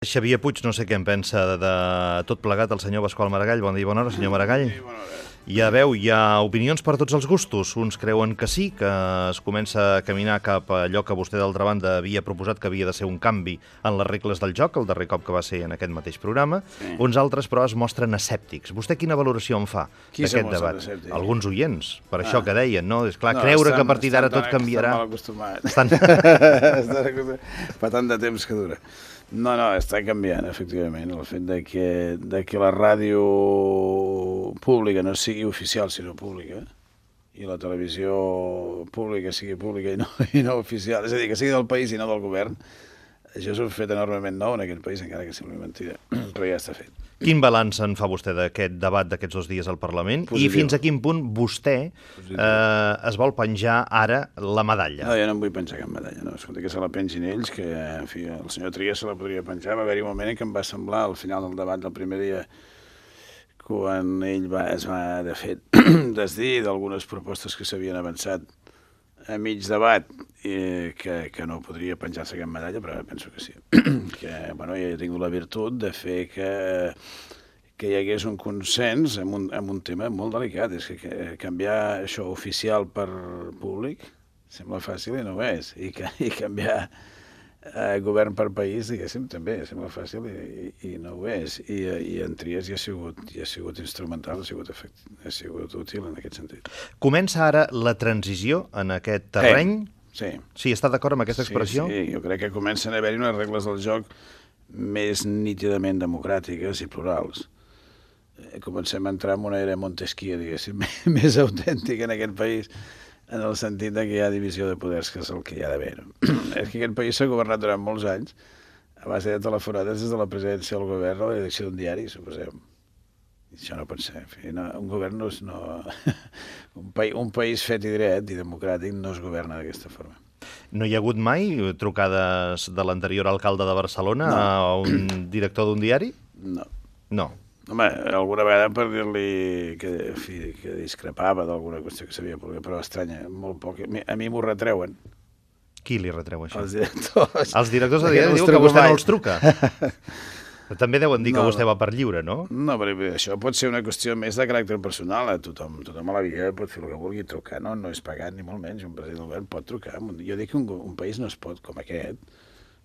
Xavier Puig, no sé què en pensa de tot plegat el senyor Pasqual Maragall. Bon dia, bona hora, senyor Maragall. Sí, bona hora. Ja veu, hi ha opinions per tots els gustos. Uns creuen que sí, que es comença a caminar cap a allò que vostè d'altra banda havia proposat que havia de ser un canvi en les regles del joc, el darrer cop que va ser en aquest mateix programa. Sí. Uns altres, però, es mostren escèptics. Vostè quina valoració en fa d'aquest debat? Escèptic? Alguns oients, per això que deien, no? És clar, No, creure que a partir d'ara tot canviarà... Estan mal acostumats. Fa tant de temps que dura. No, està canviant, efectivament. El fet de que la ràdio pública no sigui oficial, sinó pública, i la televisió pública sigui pública i no oficial, és a dir, que sigui del país i no del govern, això és un fet enormement nou en aquest país, encara que sembli mentida, però ja està fet. Quin balanç en fa vostè d'aquest debat d'aquests 2 dies al Parlament? Positiu. I fins a quin punt vostè es vol penjar ara la medalla? No, jo no em vull penjar cap medalla, no. Escolta, que se la pengin ells, que en fi, el senyor Trias se la podria penjar. Va haver-hi un moment en què em va semblar, al final del debat del primer dia, quan ell es va, de fet, desdir d'algunes propostes que s'havien avançat a mig debat, que no podria penjar-se cap medalla, però penso que sí. Que, bueno, jo he tingut la virtut de fer que hi hagués un consens en un tema molt delicat. És que canviar això oficial per públic sembla fàcil i no ho és. I canviar govern per país, diguéssim, també sembla fàcil i no ho és. I en Trias hi ha sigut instrumental, ha sigut útil en aquest sentit. Comença ara la transició en aquest terreny? Sí. Sí, està d'acord amb aquesta expressió? Sí, jo crec que comencen a haver-hi unes regles del joc més nítidament democràtiques i plurals. Comencem a entrar en una era Montesquieu, diguéssim, més autèntica en aquest país, en el sentit que hi ha divisió de poders, que és el que hi ha d'haver. És que aquest país s'ha governat durant molts anys a base de telefonades des de la presidència del govern a la direcció d'un diari, suposem. I això no pot ser. En fi, no, un govern no és... un país fet i dret i democràtic no es governa d'aquesta forma. No hi ha hagut mai trucades de l'anterior alcalde de Barcelona a un director d'un diari? No. No. Home, alguna vegada per dir-li que discrepava d'alguna qüestió que sabia, però estranya, molt poc. A mi m'ho retreuen. Qui li retreu això? Els directors. Els directors de diari diuen que vostè no els truca. També deuen dir que vostè va per lliure, no? No, però això pot ser una qüestió més de caràcter personal. Tothom a la vida pot fer el que vulgui trucar, no és pagat ni molt menys. Un president del govern pot trucar. Jo dic que un país no es pot, com aquest,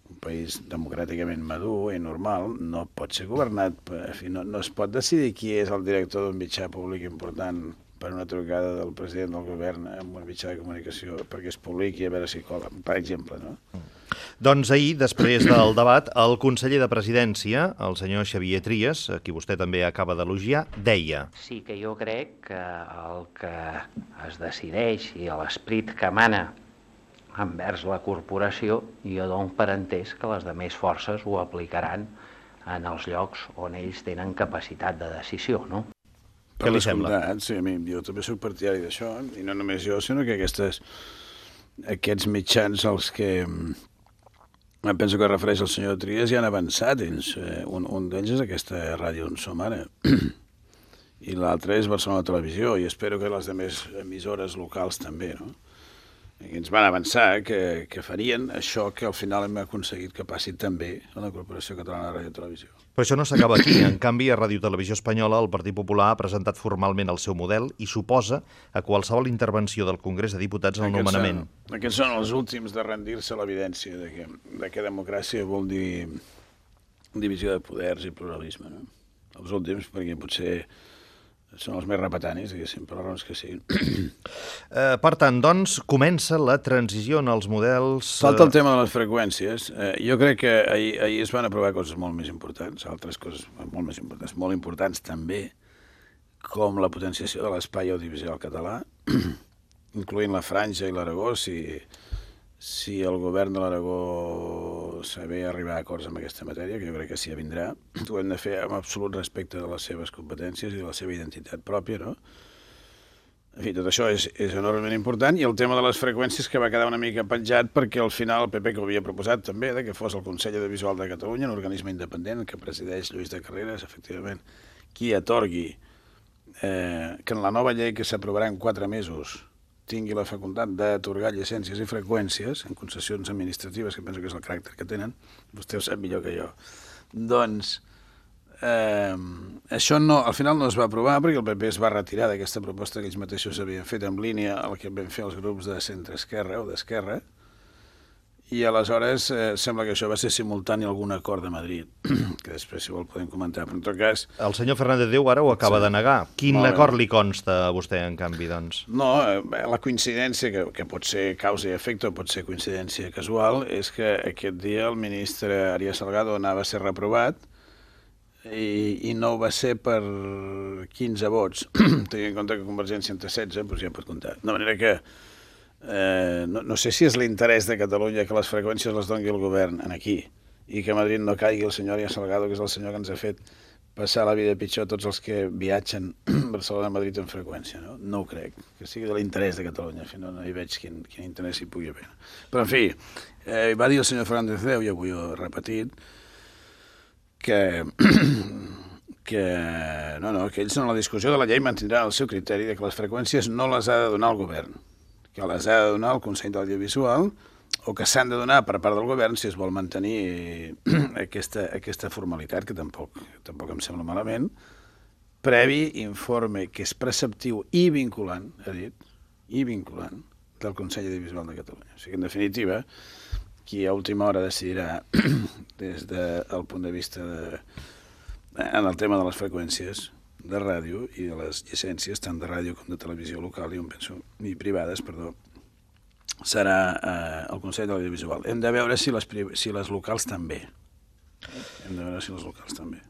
un país democràticament madur i normal, no pot ser governat, no es pot decidir qui és el director d'un mitjà públic important per una trucada del president del govern en un mitjà de comunicació perquè es publiqui a veure si cola, per exemple, no? Doncs ahir, després del debat, el conseller de Presidència, el senyor Xavier Trias, a qui vostè també acaba d'elogiar, deia: Sí que jo crec que el que es decideix i l'esperit que emana envers la corporació, jo dono per entès que les demés forces ho aplicaran en els llocs on ells tenen capacitat de decisió, no? Què li sembla? Sí, jo també soc partidari d'això, i no només jo, sinó que aquests mitjans als que penso que refereix el senyor Trias ja han avançat ells. Un d'ells és aquesta ràdio on som ara, i l'altre és Barcelona Televisió, i espero que les demés emissores locals també, no? I ens van avançar que farien això que al final hem aconseguit que passi també a la Corporació Catalana de Ràdio i Televisió. Però això no s'acaba aquí. En canvi, a Ràdio Televisió Espanyola el Partit Popular ha presentat formalment el seu model i suposa a qualsevol intervenció del Congrés de Diputats en el nomenament. Aquests són els últims de rendir-se a l'evidència de que democràcia vol dir divisió de poders i pluralisme, no? Els últims, perquè potser són els més repetanis, diguéssim, per les raons que siguin. Per tant, doncs, comença la transició en els models... Falta el tema de les freqüències. Jo crec que ahir es van aprovar coses molt més importants, altres coses molt importants també, com la potenciació de l'espai audiovisual català, incloent la Franja i l'Aragó, si el govern de l'Aragó saber arribar a acords amb aquesta matèria, que jo crec que sí vindrà, ho hem de fer amb absolut respecte de les seves competències i de la seva identitat pròpia, no? En fi, tot això és enormement important, i el tema de les freqüències que va quedar una mica penjat perquè al final el PP, que ho havia proposat també, que fos el Consell Audiovisual de Catalunya, un organisme independent que presideix Lluís de Carreras, efectivament, qui atorgui que en la nova llei que s'aprovarà en 4 mesos tingui la facultat d'atorgar llicències i freqüències en concessions administratives, que penso que és el caràcter que tenen, vostè ho sap millor que jo, Doncs això al final no es va aprovar perquè el PP es va retirar d'aquesta proposta que ells mateixos havien fet en línia el que vam fer els grups de centre-esquerra o d'esquerra, i aleshores sembla que això va ser simultani a algun acord de Madrid, que després, si vol, podem comentar, però en tot cas... El senyor Fernández Déu ara ho acaba de negar. Quin acord li consta a vostè, en canvi, doncs? No, la coincidència, que pot ser causa i efecte o pot ser coincidència casual, és que aquest dia el ministre Arias Salgado anava a ser reprovat i no ho va ser per 15 vots. Tenint en compte que Convergència en té 16, doncs ja pot comptar. De manera que no sé si és l'interès de Catalunya que les freqüències les doni el govern aquí i que a Madrid no caigui el senyor Arias Salgado, que és el senyor que ens ha fet passar la vida pitjor a tots els que viatgen a Barcelona a Madrid en freqüència. No ho crec, que sigui de l'interès de Catalunya. En fi, no hi veig quin interès hi pugui haver. Però, en fi, va dir el senyor Fernández Déu, i avui ho he repetit, que ells en la discussió de la llei mantindran el seu criteri de que les freqüències no les ha de donar el govern, que les ha de donar el Consell de l'Audiovisual, o que s'han de donar per part del govern si es vol mantenir aquesta formalitat, que tampoc em sembla malament, previ informe que és preceptiu i vinculant, ha dit, i vinculant, del Consell Audiovisual de Catalunya. O sigui, en definitiva, qui a última hora decidirà des del punt de vista en el tema de les freqüències de ràdio i de les llicències, tant de ràdio com de televisió local i privades, serà el Consell de l'Audiovisual. Hem de veure si les locals també.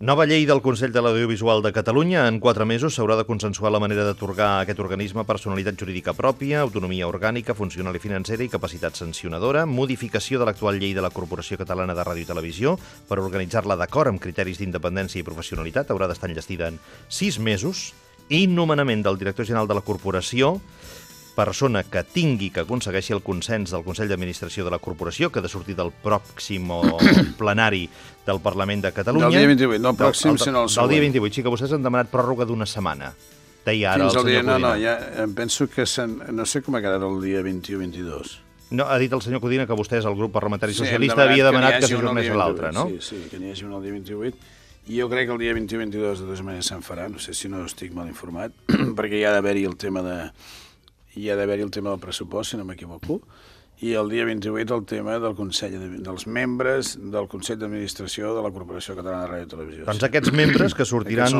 Nova llei del Consell de l'Audiovisual de Catalunya. En 4 mesos s'haurà de consensuar la manera d'atorgar a aquest organisme personalitat jurídica pròpia, autonomia orgànica, funcional i financera i capacitat sancionadora, modificació de l'actual llei de la Corporació Catalana de Ràdio i Televisió per organitzar-la d'acord amb criteris d'independència i professionalitat. Haurà d'estar enllestida en 6 mesos. I nomenament del director general de la corporació, persona que aconsegueixi el consens del Consell d'Administració de la Corporació, que ha de sortir del pròxim plenari del Parlament de Catalunya. Del dia 28, no el pròxim, sinó el següent. Del dia 28, sí, que vostès han demanat pròrroga d'1 setmana. Deia ara el senyor Codina. No, ja em penso que no sé com ha quedat el dia 21-22. No, ha dit el senyor Codina que vostès, el grup parlamentari socialista, havia demanat que s'ajornés a l'altre, no? Sí, que n'hi hagi un el dia 28. I jo crec que el dia 21-22 de totes maneres se'n farà, no sé si no estic mal informat, perquè hi ha d'haver-hi el tema del pressupost, si no m'equivoco, i el dia 28 el tema dels membres del Consell d'Administració de la Corporació Catalana de Ràdio i Televisió. Doncs aquests membres que sortiran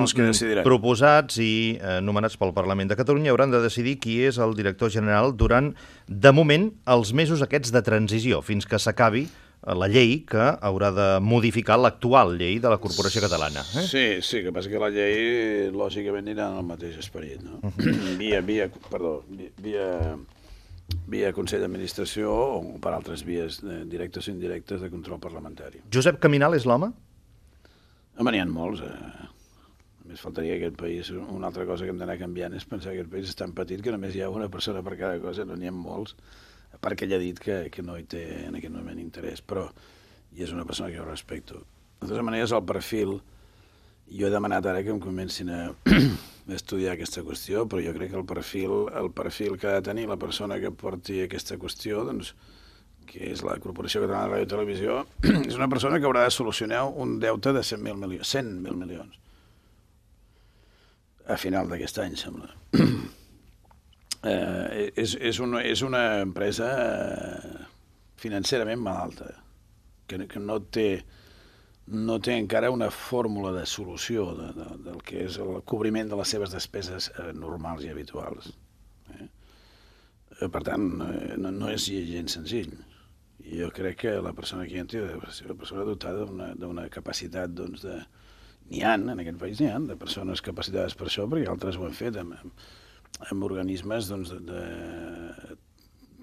proposats i nomenats pel Parlament de Catalunya hauran de decidir qui és el director general durant, de moment, els mesos aquests de transició, fins que s'acabi la llei que haurà de modificar l'actual llei de la Corporació Catalana. Sí, que passa que la llei, lògicament, anirà en el mateix esperit, no? Via Consell d'Administració o per altres vies directes o indirectes de control parlamentari. Josep Caminal és l'home? Home, n'hi ha molts. Només faltaria que aquest país, una altra cosa que hem d'anar canviant és pensar que aquest país és tan petit que només hi ha una persona per cada cosa, no n'hi ha molts. A part que ell ha dit que no hi té en aquest moment interès, però i és una persona que jo respecto. De totes maneres, el perfil, jo he demanat ara que em comencin a estudiar aquesta qüestió, però jo crec que el perfil que ha de tenir la persona que porti aquesta qüestió, doncs, que és la Corporació Catalana de Ràdio i Televisió, és una persona que haurà de solucionar un deute de 100.000 milions. A final d'aquest any, sembla. És una empresa financerament malalta, que no té encara una fórmula de solució del que és el cobriment de les seves despeses normals i habituals. Per tant, no és gens senzill. I jo crec que la persona que hi entri ha de ser una persona dotada d'una capacitat, doncs, n'hi ha, en aquest país n'hi ha, de persones capacitades per això, perquè altres ho han fet amb organismes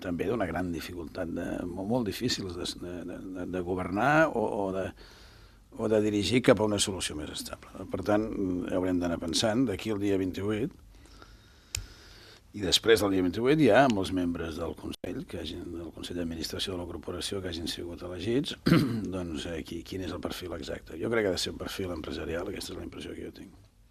també d'una gran dificultat, molt difícils de governar o de dirigir cap a una solució més estable. Per tant, haurem d'anar pensant d'aquí al dia 28, i després del dia 28 hi ha molts membres del Consell, del Consell d'Administració de la Corporació que hagin sigut elegits, doncs quin és el perfil exacte. Jo crec que ha de ser un perfil empresarial, aquesta és la impressió que jo tinc.